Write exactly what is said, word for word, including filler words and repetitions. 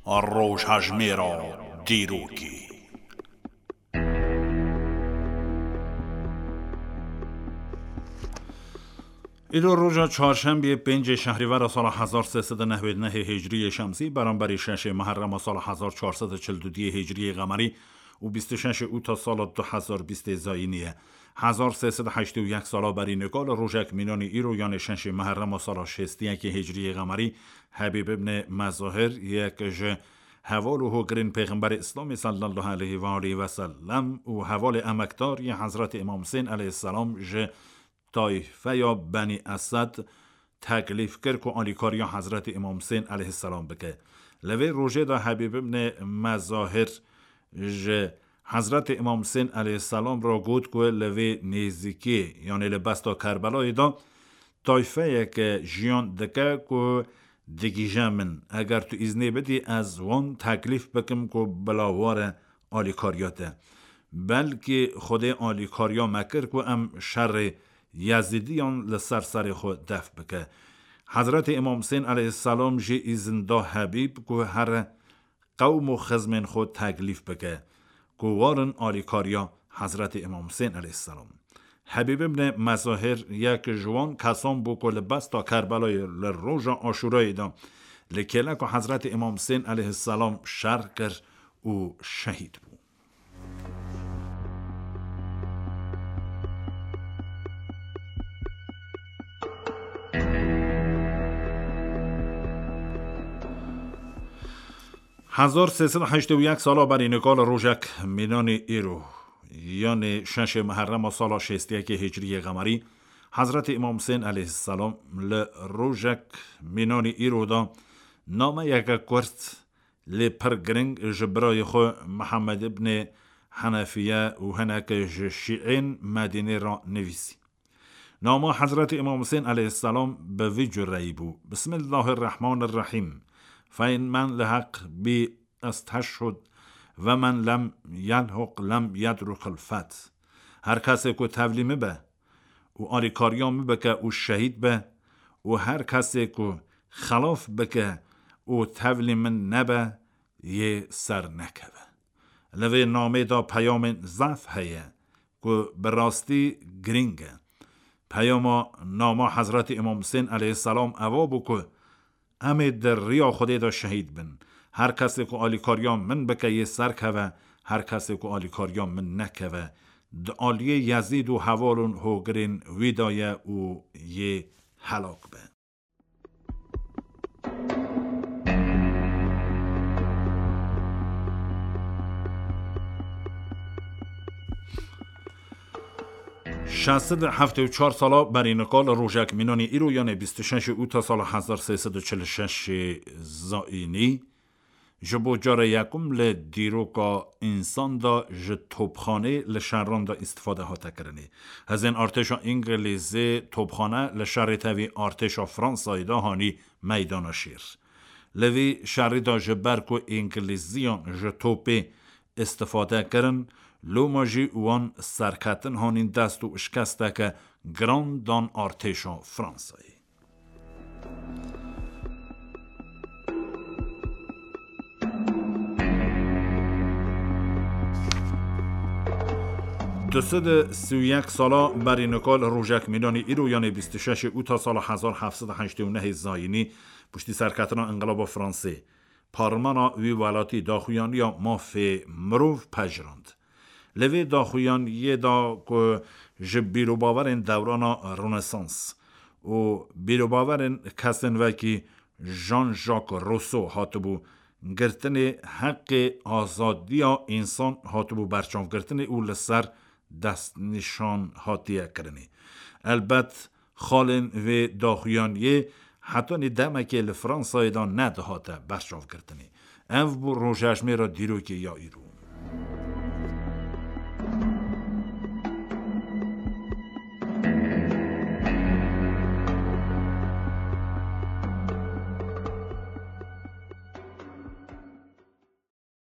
Rojhejmêra dîrokê. Îro roja çarşembiyê, pêncê şehrîvera sala hezar sê sed û newid û nehê hicriyê şemsî, beramberî şeşê meherrema sala hezar çar sed û çil û duyê hicriyê qemerî û bîst û şeşê ûta sala du hezar bîstê zayînî ye. Hezar sê sed û heştê û yek sala berî nika li rojek mînanî îro, yanê şeşê meherrema sala şêst û yekê hicriyê qemerî, Hebîb ibn Mezahir, yek ji heval û hogirên Pêxemberê Îslamê sallallahu aleyhi ve aleyhi ve sellem û hevalê emekdar yê Hezretî Îmam Husên aleyhisselam ji tayfeya Benî Esed teklîf kir ku alîkariya Hezretî Îmam Husên aleyhisselam bike. Li vê rojê de Hebîb ibn Mezahir ji Hezretî Îmam Husên aleyhisselam re got ku li vê nêzîkiyê, yanê li besta Kerbelayê de, tayfeyeke jiyan dike ku digihîje min. Eger tu îznê bidî, ez wan teklîf bikim ku bila were alîkariya te. Belkî Xwedê alîkariya me kir ku em şerê Yezîdiyan li ser serê xwe def bike. Hezretî Îmam Husên aleyhisselam jî îzin da Hebîb ku here qewm û xizmên xwe teklîf bike ku warin alîkariya Hezretî Îmam Husên aleyhisselam. Hebîb ibn Mezahir yek ji wan kesan bû ku li besta Kerbelayê li roja Aşûrayê de li kêleka Hezretî Îmam Husên aleyhisselam şer kir û şehîd bû. Hezar sê sed û heştê û yek sala berî nika li rojek mînanî îro, yanê şeşê meherrema sala şêst û yekê hicriyê qemerî, Hezretî Îmam Husên aleyhisselam li rojek mînanî îro de nameyeke kurt lê pir giring ji birayê xwe Mihemed ibnê Henefiye û hineke ji şîên Medînê re nivîsî. Nama Hezretî Îmam Husên aleyhisselam bi vî cureyî bû: Bismillahirrahmanirrahîm. Feyn men li heq bî esteşhud ve men lem yelhuq lem yedrukil feth. Her kesê ku tevlî min be û alîkariya min bike û şehîd be û her kesê ku xelaf bike û tevlî min nebe, yê ser nekeve. Li vê namê de peyamên zaf heye ku bi rastî girîng e. Peyama nama Hezretî Îmam Husên aleyhisselam eva bû ku em ê di riya Xwedê de şehîd bin. Her kesê ku alîkariya min bike yê ser keve, her kesê ku alîkariya min nekeve, di aliyê Yezîd û heval û hogirên wî de ye û yê helak be. Şeş sed û heftê û çar sala berî nika li rojek mînanî îro, yanê bîst û şeşê ûta sala hezar sê sed û çil û şeşê zayînî, ji bo cara yekum li dîroka însan de ji topxanê li şeran de îstifade hate kirinê. Hezên artêşa Îngilîzê topxane li şerê tevî artêşa Fransayê de hanî meydana şêr. Li vî şerî de ji ber ku Îngilîziyan ji topê îstifade kirin, loma jî wan serketin hanîn dest û şikesteke giran dan artêşa Fransayê. Du sed û sî û yek sala berî nika li rojek mînanî îro, yanê bîst û şeşê ûta sala hezar heft sed û heştê û nehê zayînî, piştî serketina Înqilaba Fransê, parlemana wî welatî daxuyaniya mafê mirov pejirand. Li vê daxuyaniyê de ku ji bîrobawerên dewrana Rönesans û bîrobawerên kesên wekî Jean-Jacques Rousseau hatibû girtinê, heqê azadiya însan hatibû berçavgirtinê û li ser destnîşan hatiye kirinê. Elbet, xalên vê daxuyaniyê hetanî demekê li Fransayê de nedihate berçavgirtinê. Ev bû rojejmêra dîrokê ya îro.